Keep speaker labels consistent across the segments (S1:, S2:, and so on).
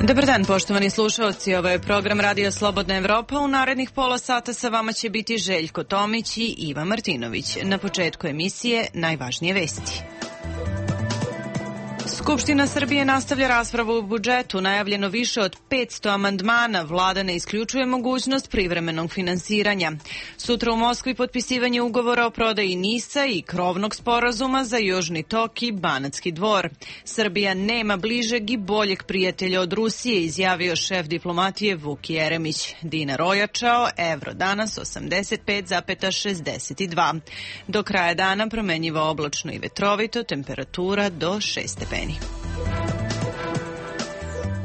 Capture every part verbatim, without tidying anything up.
S1: Dobar dan, poštovani slušalci. Ovo je program Radio Slobodna Evropa. U narednih pola sata sa vama će biti Željko Tomić i Iva Martinović. Na početku emisije najvažnije vesti. Skupština Srbije nastavlja raspravu o budžetu. Najavljeno više od petsto amandmana. Vlada ne isključuje mogućnost privremenog finansiranja. Sutra u Moskvi potpisivanje ugovora o prodaji NIS-a i krovnog sporazuma za Južni tok i Banatski dvor. Srbija nema bližeg i boljeg prijatelja od Rusije, izjavio šef diplomatije Vuk Jeremić. Dinar ojačao, evro danas osamdeset pet zarez šezdeset dva. Do kraja dana promenjivo oblačno i vetrovito, temperatura do šest stepeni.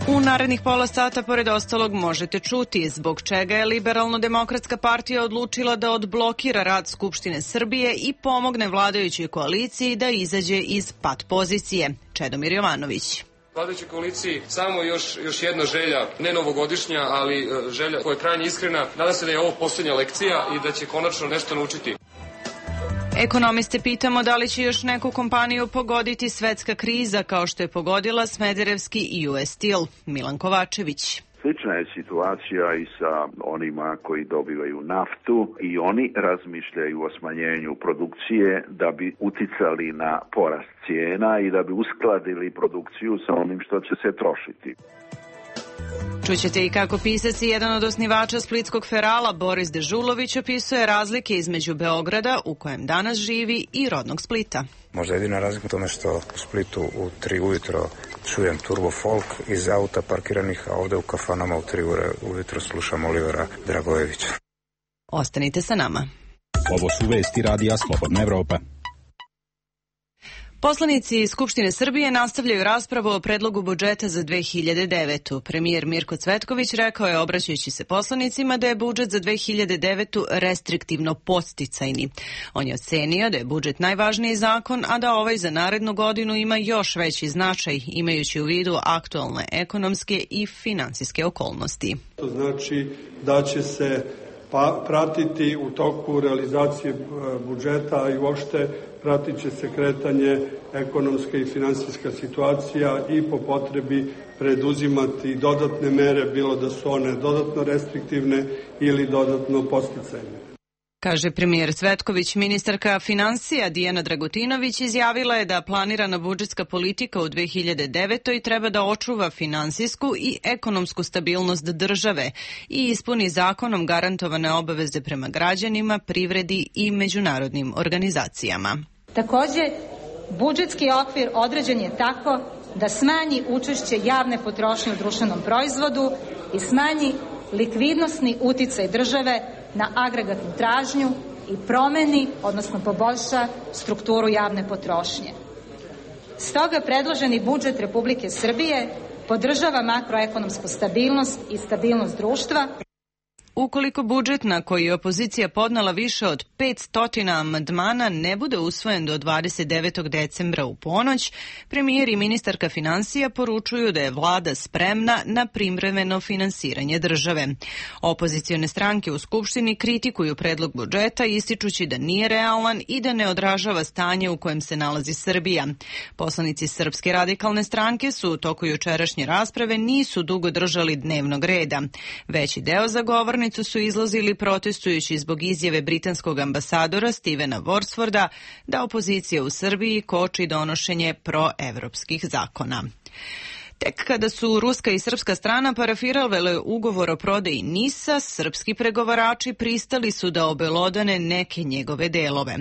S1: U narednih pola sata, pored ostalog, možete čuti zbog čega je Liberalno-demokratska partija odlučila da odblokira rad Skupštine Srbije i pomogne vladajućoj koaliciji da izađe iz pat pozicije. Čedomir Jovanović.
S2: Vladajućoj koaliciji samo još, još jedna želja, ne novogodišnja, ali želja koja je krajnje iskrena. Nadam se da je ovo posljednja lekcija i da će konačno nešto naučiti.
S1: Ekonomiste pitamo da li će još neku kompaniju pogoditi svetska kriza kao što je pogodila Smederevski i U S Steel. Milan Kovačević.
S3: Slična je situacija i sa onima koji dobivaju naftu i oni razmišljaju o smanjenju produkcije da bi uticali na porast cijena i da bi uskladili produkciju sa onim što će se trošiti.
S1: Čućete i kako pisac i jedan od osnivača splitskog Ferala, Boris Dežulović, opisuje razlike između Beograda, u kojem danas živi, i rodnog Splita.
S4: Možda jedina razlika u tome što u Splitu u tri ujutro čujem turbo folk iz auta parkiranih, a ovde u kafanama u tri ure ujutro slušam Olivera Dragojevića.
S1: Ostanite sa nama.
S5: Ovo su vesti Radija Slobodna Evropa.
S1: Poslanici Skupštine Srbije nastavljaju raspravu o predlogu budžeta za dve hiljade devetu. Premijer Mirko Cvetković rekao je, obraćajući se poslanicima, da je budžet za dve hiljade devetu restriktivno podsticajni. On je ocenio da je budžet najvažniji zakon, a da ovaj za narednu godinu ima još veći značaj, imajući u vidu aktualne ekonomske i finansijske okolnosti.
S6: To znači da će se pa pratiti u toku realizacije budžeta i uopšte pratit će se kretanje ekonomska i finansijska situacija i po potrebi preduzimati dodatne mere, bilo da su one dodatno restriktivne ili dodatno podsticajne.
S1: Kaže premijer Cvetković. Ministarka finansija Dijana Dragutinović izjavila je da planirana budžetska politika u dve hiljade devetoj treba da očuva finansijsku i ekonomsku stabilnost države i ispuni zakonom garantovane obaveze prema građanima, privredi i međunarodnim organizacijama.
S7: Takođe, budžetski okvir određen je tako da smanji učešće javne potrošnje u društvenom proizvodu i smanji likvidnosni uticaj države na agregatnu tražnju i promeni, odnosno poboljša strukturu javne potrošnje. Stoga predloženi budžet Republike Srbije podržava makroekonomsku stabilnost i stabilnost društva.
S1: Ukoliko budžet na koji je opozicija podnela više od petsto amandmana ne bude usvojen do dvadeset devetog decembra u ponoć, premijer i ministarka finansija poručuju da je vlada spremna na privremeno finansiranje države. Opozicione stranke u Skupštini kritikuju predlog budžeta, ističući da nije realan i da ne odražava stanje u kojem se nalazi Srbija. Poslanici Srpske radikalne stranke su u toku jučerašnje rasprave nisu dugo držali dnevnog reda. Veći deo zagovornika su izlazili protestujući zbog izjave britanskog ambasadora Stevena Worsforda da opozicija u Srbiji koči donošenje proevropskih zakona. Tek kada su ruska i srpska strana parafirale ugovor o prodaji NIS-a, srpski pregovarači pristali su da obelodane neke njegove delove.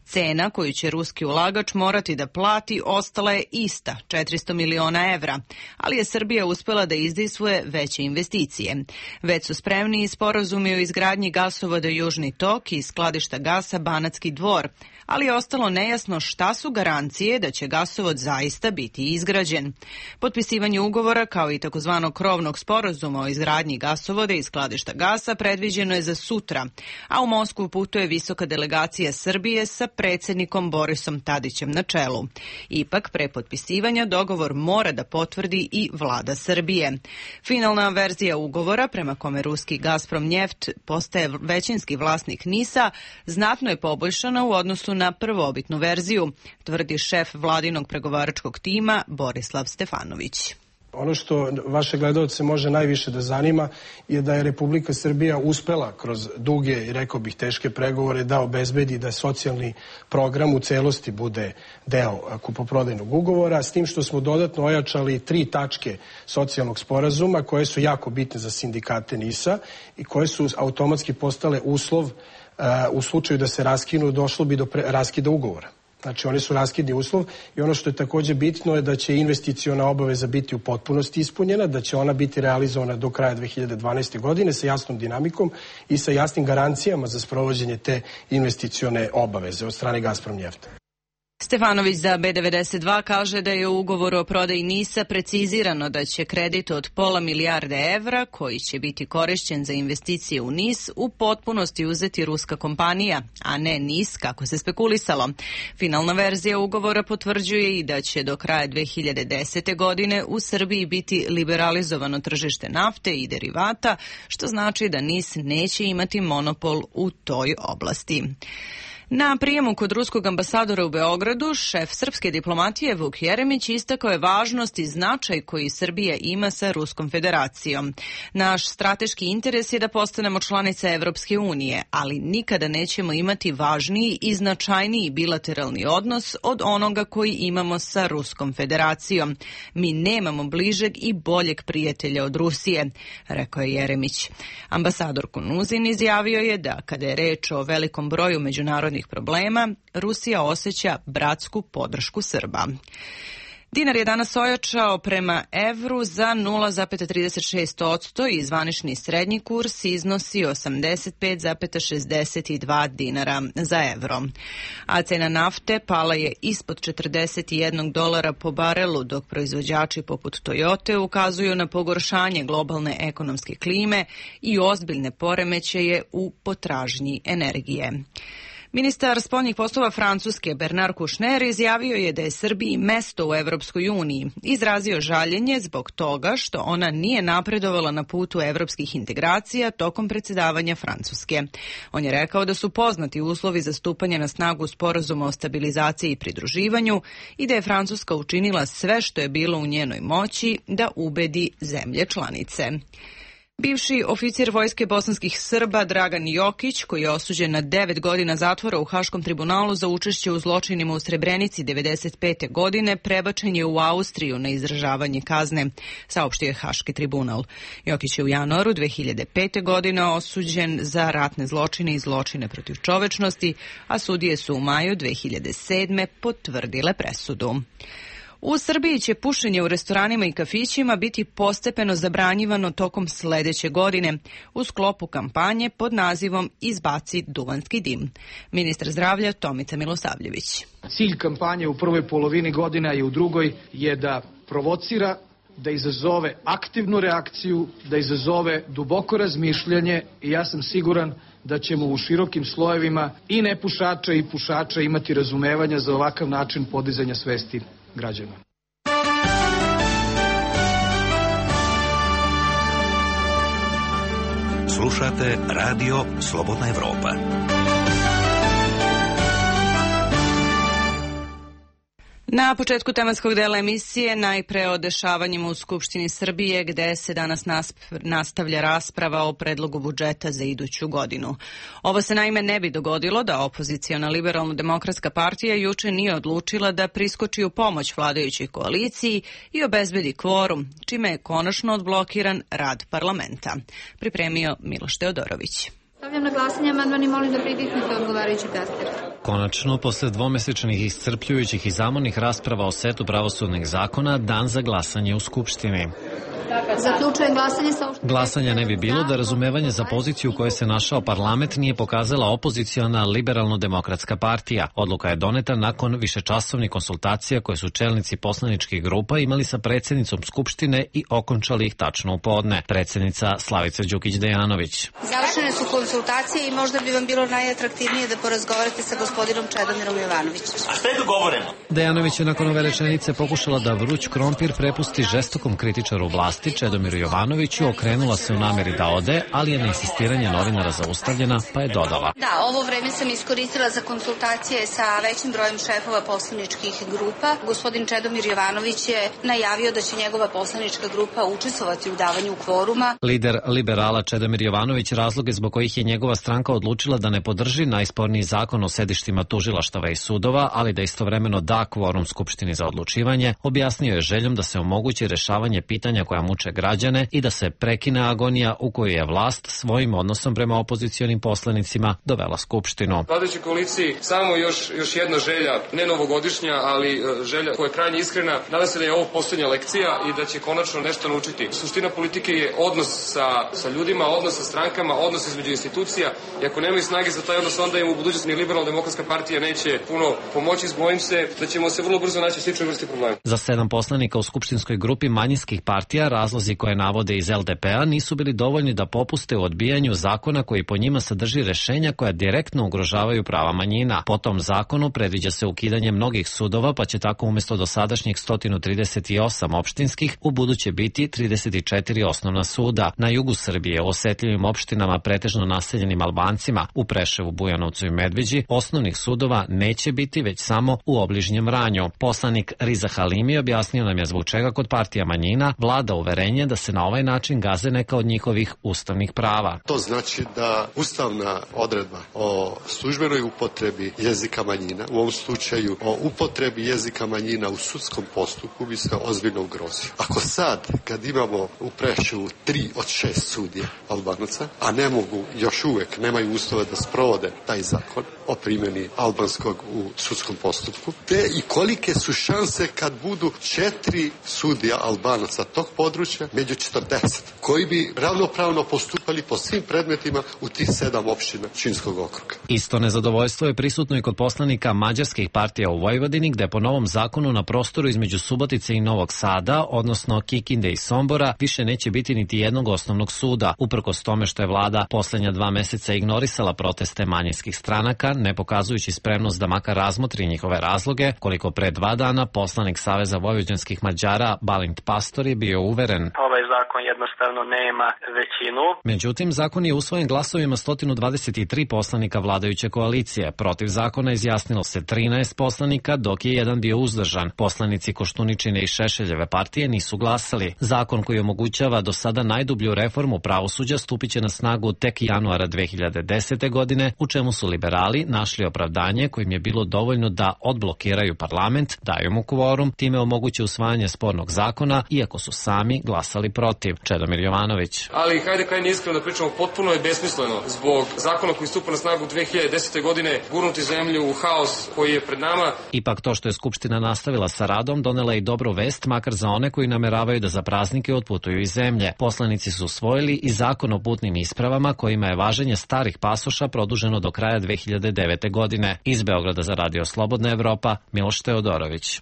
S1: Cena koju će ruski ulagač morati da plati ostala je ista, četiristo miliona evra, ali je Srbija uspela da izdejstvuje veće investicije. Već su spremni i sporazumi o izgradnji gasovoda Južni tok i skladišta gasa Banatski dvor, ali je ostalo nejasno šta su garancije da će gasovod zaista biti izgrađen. Potpisivanje ugovora, kao i takozvanog krovnog sporazuma o izgradnji gasovoda i skladišta gasa, predviđeno je za sutra, a u Moskvu putuje visoka delegacija Srbije sa predsjednikom Borisom Tadićem na čelu. Ipak, pre potpisivanja dogovor mora da potvrdi i vlada Srbije. Finalna verzija ugovora, prema kome ruski Gazprom Njeft postaje većinski vlasnik NIS-a, znatno je poboljšana u odnosu na prvobitnu verziju, tvrdi šef vladinog pregovaračkog tima Borislav Stefanović.
S8: Ono što vaše gledalce može najviše da zanima je da je Republika Srbija uspela kroz duge i rekao bih teške pregovore da obezbedi da socijalni program u celosti bude deo kupoprodajnog ugovora, s tim što smo dodatno ojačali tri tačke socijalnog sporazuma koje su jako bitne za sindikate NIS-a i koje su automatski postale uslov uh, u slučaju da se raskinu, došlo bi do pre, raskida ugovora. Znači, oni su raskidni uslov i ono što je takođe bitno je da će investiciona obaveza biti u potpunosti ispunjena, da će ona biti realizovana do kraja dve hiljade dvanaeste. godine sa jasnom dinamikom i sa jasnim garancijama za sprovođenje te investicione obaveze od strane Gazprom Njefta.
S1: Stefanović za B devedeset dva kaže da je u ugovoru o prodaji NIS-a precizirano da će kredit od pola milijarde evra, koji će biti korišćen za investicije u NIS, u potpunosti uzeti ruska kompanija, a ne NIS kako se spekulisalo. Finalna verzija ugovora potvrđuje i da će do kraja dve hiljade desete. godine u Srbiji biti liberalizovano tržište nafte i derivata, što znači da NIS neće imati monopol u toj oblasti. Na prijemu kod ruskog ambasadora u Beogradu, šef srpske diplomatije Vuk Jeremić istakao je važnost i značaj koji Srbija ima sa Ruskom federacijom. Naš strateški interes je da postanemo članica Evropske unije, ali nikada nećemo imati važniji i značajniji bilateralni odnos od onoga koji imamo sa Ruskom federacijom. Mi nemamo bližeg i boljeg prijatelja od Rusije, rekao je Jeremić. Ambasador Kunuzin izjavio je da kada je reč o velikom broju međunarodnih problema, Rusija osjeća bratsku podršku Srba. Dinar je danas ojačao prema evru za nula zarez trideset šest posto i zvanični srednji kurs iznosi osamdeset pet zarez šezdeset dva dinara za evro. A cena nafte pala je ispod četrdeset jedan dolara po barelu, dok proizvođači poput Toyote ukazuju na pogoršanje globalne ekonomske klime i ozbiljne poremećaje u potražnji energije. Ministar spoljnih poslova Francuske Bernard Kouchner izjavio je da je Srbiji mesto u Evropskoj uniji. Izrazio žaljenje zbog toga što ona nije napredovala na putu evropskih integracija tokom predsjedavanja Francuske. On je rekao da su poznati uslovi za stupanje na snagu sporazuma o stabilizaciji i pridruživanju i da je Francuska učinila sve što je bilo u njenoj moći da ubedi zemlje članice. Bivši oficir vojske bosanskih Srba Dragan Jokić, koji je osuđen na devet godina zatvora u Haškom tribunalu za učešće u zločinima u Srebrenici devedeset pete. godine, prebačen je u Austriju na izdržavanje kazne, saopštio je Haški tribunal. Jokić je u januaru dve hiljade pete. godine osuđen za ratne zločine i zločine protiv čovečnosti, a sudije su u maju dve hiljade sedme. potvrdile presudu. U Srbiji će pušenje u restoranima i kafićima biti postepeno zabranjivano tokom sledeće godine u sklopu kampanje pod nazivom Izbaci duvanski dim. Ministar zdravlja Tomica Milosavljević.
S9: Cilj kampanje u prvoj polovini godina i u drugoj je da provocira, da izazove aktivnu reakciju, da izazove duboko razmišljanje i ja sam siguran da ćemo u širokim slojevima i nepušača i pušača imati razumevanja za ovakav način podizanja svesti građana.
S10: Slušate Radio Slobodna Evropa.
S1: Na početku tematskog dela emisije najpre o dešavanjima u Skupštini Srbije, gde se danas nastavlja rasprava o predlogu budžeta za iduću godinu. Ovo se naime ne bi dogodilo da opoziciona Liberalno-demokratska partija juče nije odlučila da priskoči u pomoć vladajućoj koaliciji i obezbedi kvorum, čime je konačno odblokiran rad parlamenta. Pripremio Miloš Teodorović.
S11: Stavljam na glasanje amandman i molim da pritisnete odgovarajući taster.
S12: Konačno, posle dvomesečnih iscrpljujućih i zamornih rasprava o setu pravosudnih zakona, dan za glasanje u Skupštini.
S11: Zaključujem glasanje sa...
S12: Glasanja ne bi bilo da razumevanje za poziciju u kojoj se našao parlament nije pokazala opoziciona Liberalno-demokratska partija. Odluka je doneta nakon višečasovnih konsultacija koje su čelnici poslaničkih grupa imali sa predsjednicom Skupštine i okončali ih tačno u podne. Predsjednica Slavica Đukić-Dejanović.
S13: Završene su konsultacije i možda bi vam bilo najatraktivnije da porazgovarate sa gospodinom Čedomirom Jovanovićem.
S14: A šta je dogovoreno?
S12: Dejanović je nakon ove rečenice pokušala da vruć krompir prepusti žestokom kritičaru vlasti vlasti Čedomiru Jovanoviću okrenula se u nameri da ode, ali je na insistiranje novinara zaustavljena, pa je dodala.
S13: Da, ovo vreme sam iskoristila za konsultacije sa većim brojem šefova poslaničkih grupa. Gospodin Čedomir Jovanović je najavio da će njegova poslanička grupa učestvovati u davanju kvoruma.
S12: Lider liberala Čedomir Jovanović razloge zbog kojih je njegova stranka odlučila da ne podrži najsporniji zakon o sedištima tužilaštava i sudova, ali da istovremeno da kvorum Skupštini za odlučivanje, objasnio je željom da se omogući rešavanje pitanja koja muče građane i da se prekine agonija u kojoj je vlast svojim odnosom prema opozicionim poslanicima dovela Skupštinu.
S2: Vladajućoj koaliciji samo još, još jedna želja, ne novogodišnja, ali želja koja je krajnje iskrena. Nadam se da je ovo poslednja lekcija i da će konačno nešto naučiti. Suština politike je odnos sa, sa ljudima, odnos sa strankama, odnos između institucija i ako nemaju snage za taj odnos, onda im u budućnosti ni Liberalna demokratska partija neće puno pomoći. Bojim se da ćemo se vrlo brzo naći sličnoj vrsti problema.
S12: Za sedam poslanika u skupštinskoj grupi manjinskih partija razlozi koje navode iz L D P-a nisu bili dovoljni da popuste u odbijanju zakona koji po njima sadrži rešenja koja direktno ugrožavaju prava manjina. Po tom zakonu predviđa se ukidanje mnogih sudova, pa će tako umesto dosadašnjih sto trideset osam opštinskih u buduće biti trideset četiri osnovna suda. Na jugu Srbije, u osetljivim opštinama pretežno naseljenim Albancima, u Preševu, Bujanovcu i Medveđi, osnovnih sudova neće biti, već samo u obližnjem Vranju. Poslanik Riza Halimi objasnio nam je zbog čega kod partija manjina vlada uverenje da se na ovaj način gaze neka od njihovih ustavnih prava.
S14: To znači da ustavna odredba o službenoj upotrebi jezika manjina, u ovom slučaju o upotrebi jezika manjina u sudskom postupku, bi se ozbiljno ugrozio. Ako sad, kad imamo u Preševu tri od šest sudija Albanaca, a ne mogu, još uvek nemaju uslove da sprovode taj zakon o primjeni albanskog u sudskom postupku, te i kolike su šanse kad budu četiri sudija Albanaca tog područja među četrdeset, koji bi ravnopravno postupali po svim predmetima u tih sedam opština Pčinjskog okruga.
S12: Isto nezadovoljstvo je prisutno i kod poslanika mađarskih partija u Vojvodini, gde po novom zakonu na prostoru između Subotice i Novog Sada, odnosno Kikinde i Sombora, više neće biti niti jednog osnovnog suda. Uprkos tome što je vlada poslednja dva meseca ignorisala proteste manjinskih stranaka, ne pokazujući spremnost da makar razmotri njihove razloge, koliko pre dva dana poslanik Saveza vojvođanskih Mađara Balint Pastor je bio uveren.
S15: Ovaj zakon jednostavno nema većinu.
S12: Međutim, zakon je usvojen glasovima sto dvadeset tri poslanika vladajuće koalicije. Protiv zakona izjasnilo se trinaest poslanika, dok je jedan bio uzdržan. Poslanici Koštuničine i Šešeljeve partije nisu glasali. Zakon koji omogućava do sada najdublju reformu pravosuđa stupiće na snagu tek januara dve hiljade desete. godine, u čemu su liberali našli opravdanje kojim je bilo dovoljno da odblokiraju parlament, daju mu kvorum, time omoguće usvajanje spornog zakona, iako su sami glasali protiv. Čedomir Jovanović.
S2: Ali hajde kaj nije iskreno da pričamo, potpuno je besmisleno zbog zakona koji stupa na snagu dve hiljade desete. godine gurnuti zemlju u haos koji je pred nama.
S12: Ipak to što je Skupština nastavila sa radom donela i dobru vest, makar za one koji nameravaju da za praznike otputuju iz zemlje. Poslanici su usvojili i zakon o putnim ispravama kojima je važenje starih pasoša produženo do kraja dve hiljade devete. godine. Iz Beograda za Radio Slobodna Evropa, Miloš Teodorović.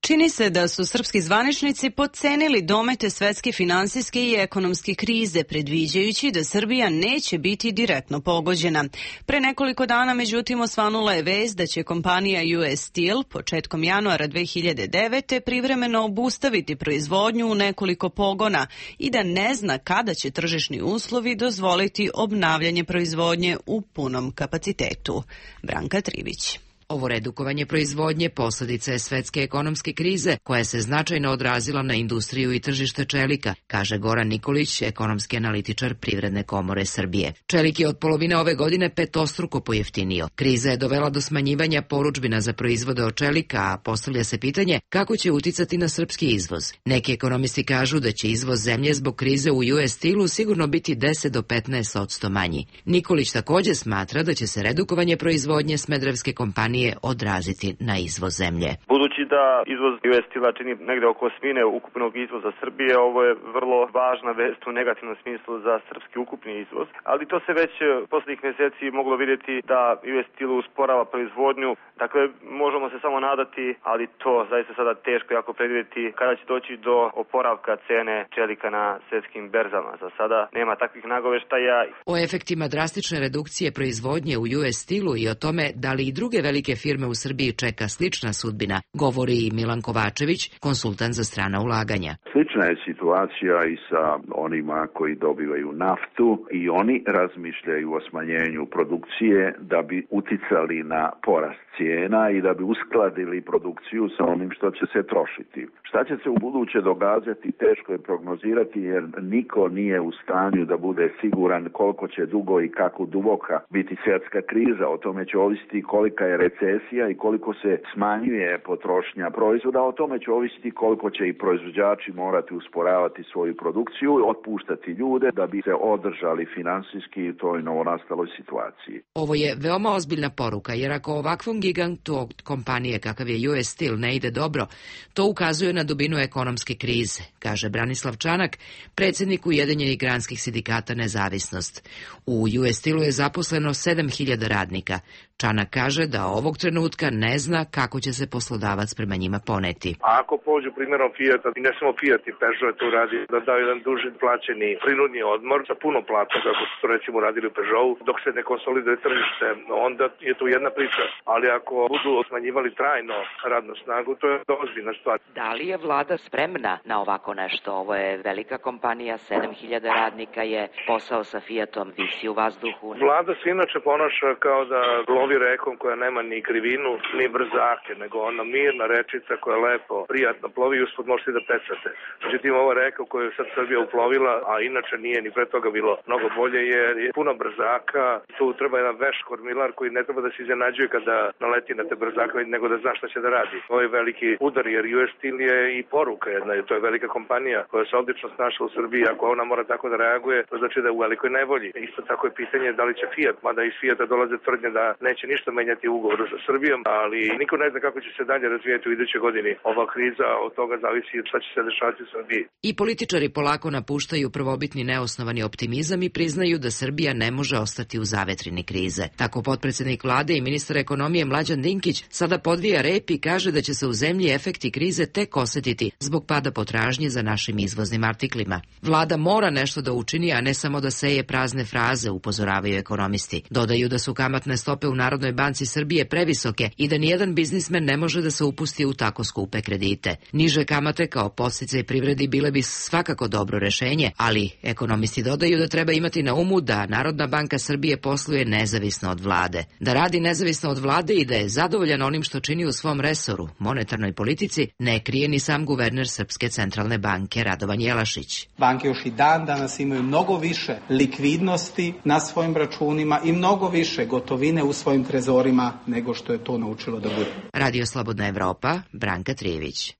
S1: Čini se da su srpski zvaničnici potcenili domete svetske finansijske i ekonomske krize, predviđajući da Srbija neće biti direktno pogođena. Pre nekoliko dana, međutim, osvanula je vest da će kompanija U S Steel početkom januara dve hiljade devete. privremeno obustaviti proizvodnju u nekoliko pogona i da ne zna kada će tržišni uslovi dozvoliti obnavljanje proizvodnje u punom kapacitetu. Branka Trivić.
S16: Ovo redukovanje proizvodnje posledica je svetske ekonomske krize koja se značajno odrazila na industriju i tržište čelika, kaže Goran Nikolić, ekonomski analitičar Privredne komore Srbije. Čelik je od polovine ove godine petostruko pojeftinio. Kriza je dovela do smanjivanja poručbina za proizvode od čelika, a postavlja se pitanje kako će uticati na srpski izvoz. Neki ekonomisti kažu da će izvoz zemlje zbog krize u U S Steelu sigurno biti deset do petnaest posto manji. Nikolić takođe smatra da će se redukovanje proizvodnje smederevske kompanije odraziti na izvoz zemlje.
S17: Budući da izvoz U S Steela čini negde oko osmine ukupnog izvoza Srbije, ovo je vrlo važna vest u negativnom smislu za srpski ukupni izvoz, ali to se već poslednjih meseci moglo vidjeti da U S Steel usporava proizvodnju, dakle možemo se samo nadati, ali to zaista sada teško jako predvidjeti kada će doći do oporavka cene čelika na svetskim berzama. Za sada nema takvih nagoveštaja.
S16: O efektima drastične redukcije proizvodnje u U S Steelu i o tome da li i druge velike velike firme u Srbiji čeka slična sudbina, govori i Milan Kovačević, konsultant za strana ulaganja.
S3: Slična je situacija i sa onima koji dobivaju naftu i oni razmišljaju o smanjenju produkcije da bi uticali na porast cijena i da bi uskladili produkciju sa onim što će se trošiti. Šta će se u buduće događati, teško je prognozirati jer niko nije u stanju da bude siguran koliko će dugo i kako duboka biti svjetska kriza. O tome će ovisiti kolika je recesija i koliko se smanjuje potrošnja proizvoda. O tome će ovisiti koliko će i proizvođači morati usporavati svoju produkciju, otpuštati ljude da bi se održali finansijski u toj novonastaloj situaciji.
S16: Ovo je veoma ozbiljna poruka, jer ako ovakvom gigantu od kompanije kakav je U S Steel ne ide dobro, to ukazuje na dubinu ekonomske krize, kaže Branislav Čanak, predsjednik Ujedinjenih granskih sindikata Nezavisnost. U U S Steelu je zaposleno sedam hiljada radnika. Čanak kaže da ovog trenutka ne zna kako će se poslodavac prema njima poneti.
S18: A ako pođu primjerom Fijata, i ne samo Fijat i Peugeot to radi, da daju jedan duži plaćeni prinudni odmor sa puno plata, kako su to recimo radili u Peugeotu, dok se ne konsoliduje tržište, onda je to jedna priča. Ali ako budu smanjivali trajno radnu snagu, to je ozbiljna stvar.
S16: Da li je vlada spremna na ovako nešto? Ovo je velika kompanija, sedam hiljada radnika je, posao sa Fijatom visi u vazduhu.
S18: Vlada se inače ponaša kao da lovi rekom koja nema ni krivinu, ni brzake, nego ona mirna rečica koja lepo, prijatno plovi i uspod možete da pecate. Međutim, ova reka koju je sad Srbija uplovila, a inače nije ni pre toga bilo mnogo bolje, jer je puno brzaka. Tu treba jedan veš kormilar koji ne treba da se iznenađuje kada naleti na te brzake, nego da zna šta će da radi. Ovo je veliki udar, jer U S Steel je i poruka jedna, to je velika kompanija koja se odlično snašla u Srbiji. Ako ona mora tako da reaguje, to znači da je u velikoj nevolji. Isto tako je pitanje da li će Fiat, mada iz Fijata dolaze tvrdnje da neće ništa menjati u ugovoru sa Srbijom, ali niko ne zna kako će se dalje razvijeti u idućoj godini. Ova kriza, od toga zavisi šta će se dešavati u Srbiji.
S16: I političari polako napuštaju prvobitni neosnovani optimizam i priznaju da Srbija ne može ostati u zavetrini krize. Tako potpredsednik vlade i ministar ekonomije Mlađan Dinkić sada podvija rep i kaže da će se u zemlji efekti krize tek osetiti zbog pada potražnje za našim izvoznim artiklima. Vlada mora nešto da učini, a ne samo da seje prazne fraze, upozoravaju ekonomisti. Dodaju da su kamatne stope u Narodnoj banci Srbije previsoke i da nijedan biznismen ne može da se upusti u tako skupe kredite. Niže kamate kao podsticaj privredi bile bi svakako dobro rešenje, ali ekonomisti dodaju da treba imati na umu da Narodna banka Srbije posluje nezavisno od vlade. Da radi nezavisno od vlade i da je zadovoljan onim što čini u svom resoru, monetarnoj politici, ne krije ni sam guverner Srpske centralne banke Radovan Jelašić.
S19: Banke još i dan danas imaju mnogo više likvidnosti na svojim računima i mnogo više gotovine u svojim trezorima nego što je to naučilo da bude.
S16: Radio Slobodna Evropa, Branka Trijević.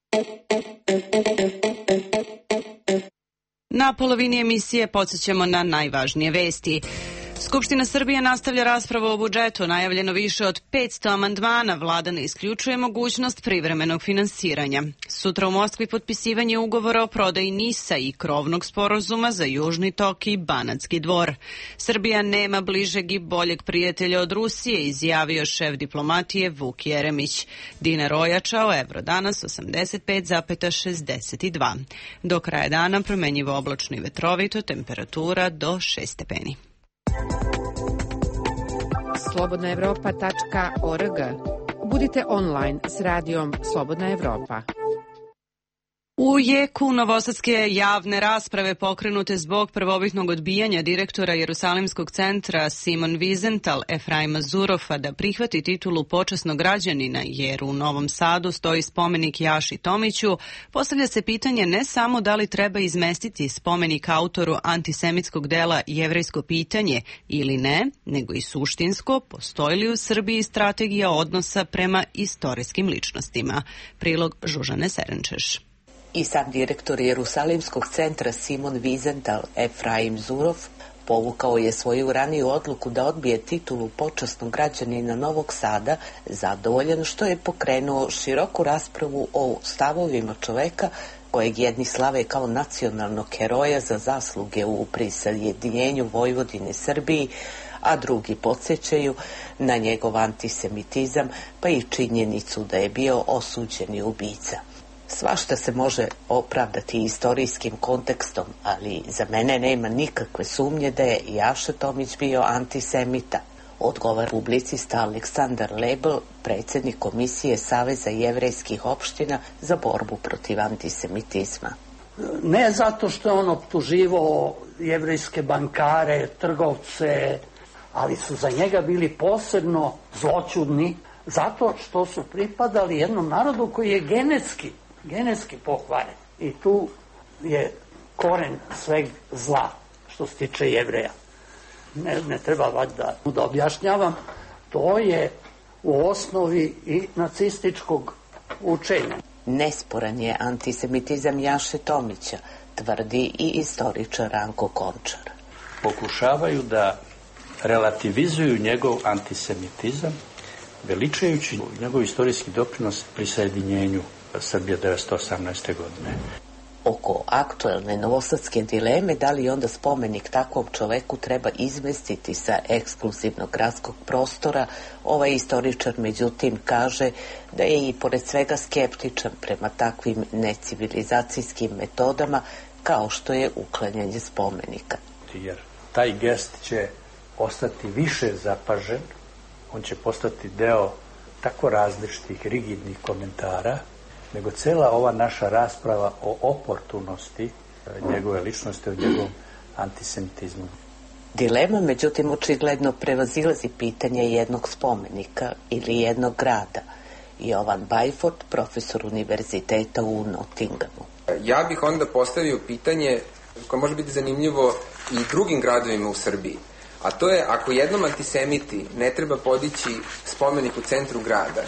S1: Na polovini emisije podsjećamo na najvažnije vesti. Skupština Srbije nastavlja raspravu o budžetu, najavljeno više od petsto amandmana, vlada ne isključuje mogućnost privremenog finansiranja. Sutra u Moskvi potpisivanje ugovora o prodaji NIS-a i krovnog sporazuma za Južni tok i Banatski dvor. Srbija nema bližeg i boljeg prijatelja od Rusije, izjavio šef diplomatije Vuk Jeremić. Dinar ojačao, evro danas osamdeset pet zarez šezdeset dva. Do kraja dana promenjivo oblačno i vetrovito, temperatura do šest stepeni.
S20: slobodna evropa tačka org. Budite online s radijom Slobodna Evropa.
S1: U jeku novosadske javne rasprave pokrenute zbog prvobitnog odbijanja direktora Jerusalimskog centra Simon Wiesenthal Efraima Zurofa da prihvati titulu počasnog građanina, jer u Novom Sadu stoji spomenik Jaši Tomiću, postavlja se pitanje ne samo da li treba izmestiti spomenik autoru antisemitskog dela Jevrejsko pitanje ili ne, nego i suštinsko, postoji li u Srbiji strategija odnosa prema istorijskim ličnostima. Prilog Žužane Serenčeš.
S21: I sam direktor Jerusalimskog centra Simon Wiesenthal Efraim Zurov povukao je svoju raniju odluku da odbije titulu počasnog građanina Novog Sada, zadovoljan što je pokrenuo široku raspravu o stavovima čoveka kojeg jedni slave kao nacionalnog heroja za zasluge u prisajedinjenju Vojvodine Srbiji, a drugi podsjećaju na njegov antisemitizam pa i činjenicu da je bio osuđeni ubica. Svašta se može opravdati istorijskim kontekstom, ali za mene nema nikakve sumnje da je Jaša Tomić bio antisemita. odgovara publicista Aleksandar Lebel, predsjednik Komisije Saveza jevrejskih opština za borbu protiv antisemitizma.
S4: Ne zato što je on optuživao jevrejske bankare, trgovce, ali su za njega bili posebno zloćudni, zato što su pripadali jednom narodu koji je genetski, genetski pokvaren. I tu je koren sveg zla što se tiče Jevreja. Ne, ne treba valjda da objašnjavam, to je u osnovi i nacističkog učenja.
S21: Nesporan je antisemitizam Jaše Tomića, tvrdi i istoričar Ranko Končar.
S22: Pokušavaju da relativizuju njegov antisemitizam, veličajući njegov istorijski doprinos prisajedinjenju Srbije devetsto osamnaeste. godine.
S21: Oko aktuelne novosadske dileme da li onda spomenik takvom čoveku treba izmestiti sa ekskluzivnog gradskog prostora, ovaj istoričar međutim kaže da je i pored svega skeptičan prema takvim necivilizacijskim metodama kao što je uklanjanje spomenika.
S22: Jer taj gest će ostati više zapažen, on će postati deo tako različitih rigidnih komentara, nego cela ova naša rasprava o oportunosti njegove ličnosti, o njegovom antisemitizmu.
S21: Dilema, međutim, očigledno prevazilazi pitanje jednog spomenika ili jednog grada. Jovan Bajford, profesor univerziteta u Nottinghamu.
S23: Ja bih onda postavio pitanje koje može biti zanimljivo i drugim gradovima u Srbiji. A to je, ako jednom antisemiti ne treba podići spomenik u centru grada,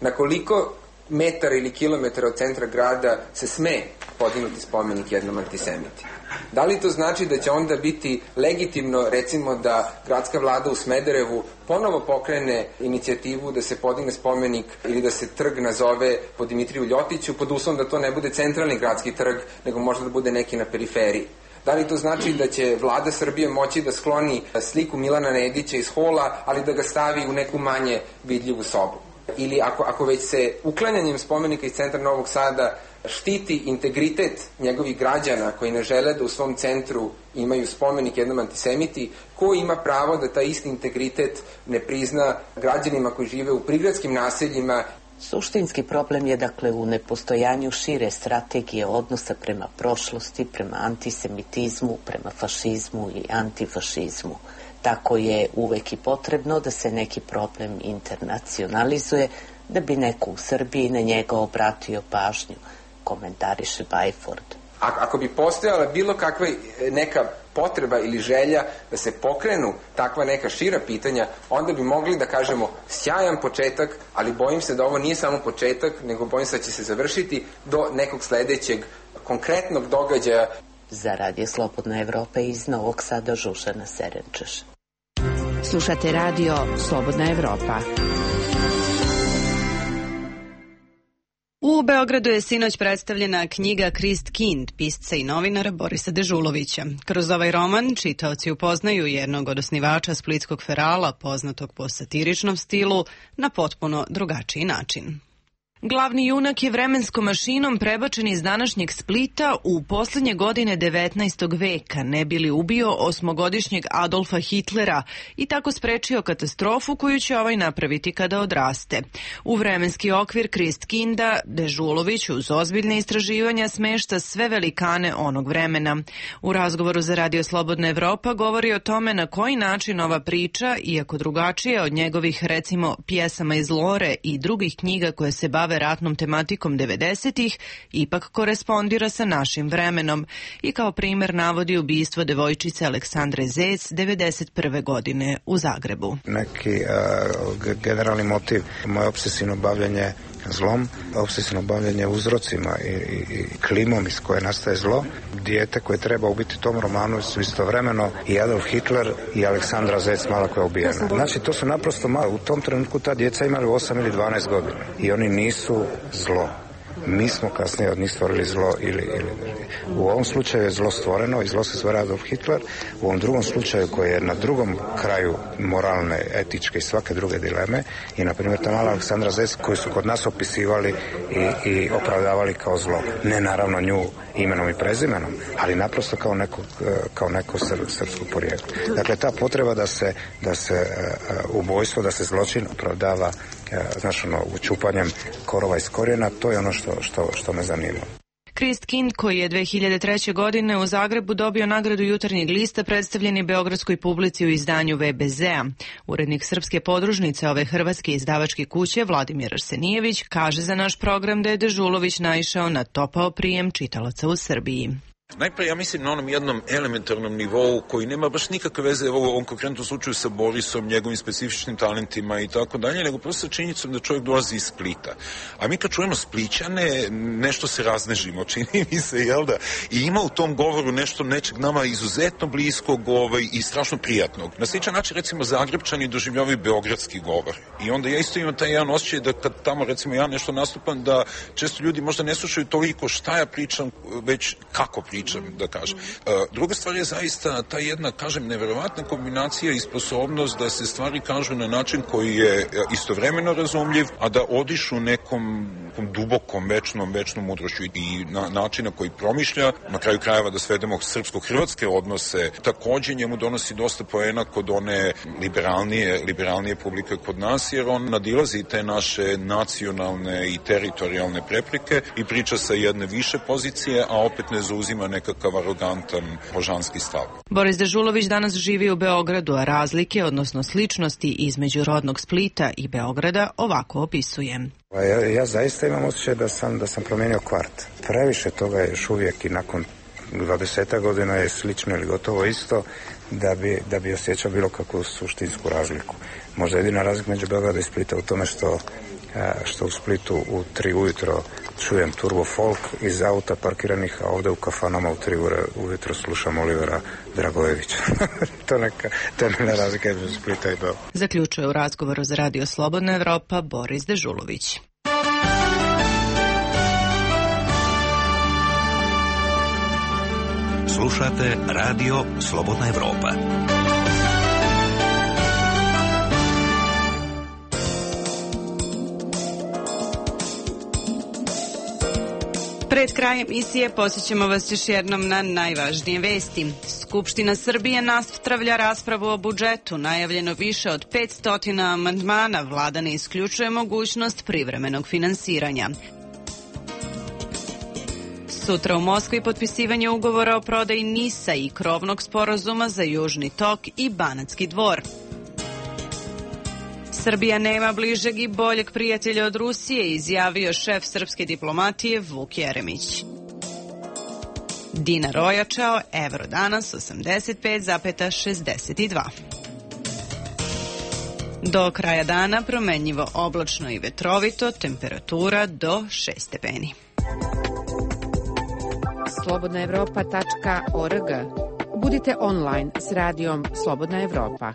S23: na koliko metara ili kilometara od centra grada se sme podignuti spomenik jednom antisemiti? Da li to znači da će onda biti legitimno, recimo, da gradska vlada u Smederevu ponovo pokrene inicijativu da se podigne spomenik ili da se trg nazove po Dimitriju Ljotiću, pod uslovom da to ne bude centralni gradski trg, nego možda da bude neki na periferiji? Da li to znači da će vlada Srbije moći da skloni sliku Milana Nedića iz hola, ali da ga stavi u neku manje vidljivu sobu? Ili ako, ako već se uklanjanjem spomenika iz centra Novog Sada štiti integritet njegovih građana koji ne žele da u svom centru imaju spomenik jednom antisemiti, ko ima pravo da taj isti integritet ne prizna građanima koji žive u prigradskim naseljima?
S21: Suštinski problem je dakle u nepostojanju šire strategije odnosa prema prošlosti, prema antisemitizmu, prema fašizmu i antifašizmu. Tako je uvek i potrebno da se neki problem internacionalizuje, da bi neko u Srbiji na njega obratio pažnju, komentariše Bajford.
S23: A, ako bi postojala bilo kakva neka potreba ili želja da se pokrenu takva neka šira pitanja, onda bi mogli da kažemo sjajan početak, ali bojim se da ovo nije samo početak, nego bojim se da će se završiti do nekog sledećeg konkretnog događaja.
S21: Za Radio Slobodna Evropa iz Novog Sada Žužana Serenčeš.
S20: Slušate Radio Slobodna Evropa.
S1: U Beogradu je sinoć predstavljena knjiga Christkind, pisca i novinara Borisa Dežulovića. Kroz ovaj roman čitaoci upoznaju jednog od osnivača splitskog ferala, poznatog po satiričnom stilu, na potpuno drugačiji način. Glavni junak je vremenskom mašinom prebačen iz današnjeg Splita u poslednje godine devetnaestog veka, ne bi li ubio osmogodišnjeg Adolfa Hitlera i tako sprečio katastrofu koju će ovaj napraviti kada odraste. U vremenski okvir Christkinda Dežulović uz ozbiljne istraživanja smešta sve velikane onog vremena. U razgovoru za Radio Slobodna Evropa govori o tome na koji način ova priča, iako drugačija od njegovih, recimo, pjesama iz Lore i drugih knjiga koje se bave ratnom tematikom devedesetih, ipak korespondira sa našim vremenom i kao primer navodi ubistvo devojčice Aleksandre Zec devedeset prve. godine u Zagrebu.
S24: Neki uh, generalni motiv, moje obsesivno bavljanje zlom, obsesivno bavljanje uzrocima i, i, i klimom iz koje nastaje zlo. Dijete koje treba ubiti u tom romanu su istovremeno i Adolf Hitler i Aleksandra Zec mala koja je ubijena. Znači to su naprosto malo. U tom trenutku ta djeca imali osam ili dvanaest godina i oni nisu zlo. mi smo kasnije od njih stvorili zlo ili, ili u ovom slučaju je zlo stvoreno i zlo se stvara Adolf Hitler, u ovom drugom slučaju koji je na drugom kraju moralne, etičke i svake druge dileme i na primjer ta mala Aleksandra Zec koju su kod nas opisivali i, i opravdavali kao zlo. Ne naravno nju imenom i prezimenom, ali naprosto kao neko, kao neko sr, srpsko porijeklo. Dakle, ta potreba da se, da se uh, ubojstvo, da se zločin opravdava uh, znaš, ono, učupanjem korova iz korijena, to je ono što, što, što me zanima.
S1: Krist Kind, koji je dve hiljade treće. godine u Zagrebu dobio nagradu Jutarnjeg lista, predstavljen je beogradskoj publici u izdanju ve be zea. Urednik srpske podružnice ove hrvatske izdavačke kuće, Vladimir Arsenijević, kaže za naš program da je Dežulović naišao na topao prijem čitalaca u Srbiji.
S5: Najprije ja mislim na onom jednom elementarnom nivou koji nema baš nikakve veze u ovom konkretnom slučaju sa Borisom, njegovim specifičnim talentima i tako dalje, nego prosto sa činjenicom da čovjek dolazi iz Splita. A mi kad čujemo Splićane, nešto se raznežimo, čini mi se, jel da? I ima u tom govoru nešto nečeg nama izuzetno bliskog ovaj, i strašno prijatnog. Na sličan način, recimo, Zagrebčani doživljavaju beogradski govor. I onda ja isto imam taj jedan osjećaj da kad tamo, recimo, ja nešto nastupam, da često ljudi možda ne slušaju toliko šta ja pričam, već kako pričam. Pričam, da kažem. Druga stvar je zaista ta jedna, kažem, neverovatna kombinacija i sposobnost da se stvari kažu na način koji je istovremeno razumljiv, a da odišu nekom, nekom dubokom, večnom, večnom mudrošću i na načina koji promišlja, na kraju krajeva da svedemo srpsko-hrvatske odnose, takođe njemu donosi dosta poena kod one liberalnije, liberalnije publike kod nas, jer on nadilazi te naše nacionalne i teritorijalne prepreke i priča sa jedne više pozicije, a opet ne zauzima nekakav arogantan božanski stav.
S1: Boris Dežulović danas živi u Beogradu, a razlike, odnosno sličnosti između rodnog Splita i Beograda ovako opisuje.
S24: Ja, ja zaista imam osjećaj da sam, da sam promijenio kvart. Previše toga je još uvijek i nakon dvadeset godina je slično ili gotovo isto da bi, da bi osjećao bilo kakvu suštinsku razliku. Možda jedina razlika među Beograda i Splita u tome što što u Splitu u tri ujutro čujem turbo folk iz auta parkiranih, a ovde u kafanama u tri ure ujutro slušam Olivera Dragojevića. to neka, to je neka razlika između Splita i Beograda.
S1: Zaključuje u razgovoru za Radio Slobodna Evropa Boris Dežulović.
S10: Slušate Radio Slobodna Evropa.
S1: Pred krajem emisije posjećamo vas još jednom na najvažnije vesti. Skupština Srbije nastavlja raspravu o budžetu. Najavljeno više od petsto amandmana. Vlada ne isključuje mogućnost privremenog finansiranja. Sutra u Moskvi potpisivanje ugovora o prodaji NIS-a i krovnog sporazuma za Južni tok i Banatski Dvor. Srbija nema bližeg i boljeg prijatelja od Rusije, izjavio šef srpske diplomatije Vuk Jeremić. Dinar ojačao, evro danas osamdeset pet zarez šezdeset dva. Do kraja dana promenljivo oblačno i vetrovito, temperatura do šest stepeni.
S20: slobodna evropa tačka org. Budite online s radijom Slobodna Evropa.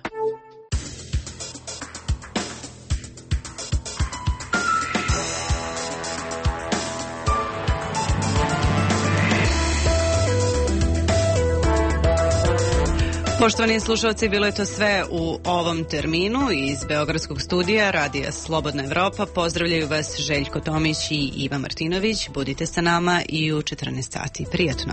S1: Poštovani slušalci, bilo je to sve u ovom terminu. Iz Beogradskog studija Radija Slobodna Evropa pozdravljaju vas Željko Tomić i Iva Martinović. Budite sa nama i u četrnaest sati. Prijatno.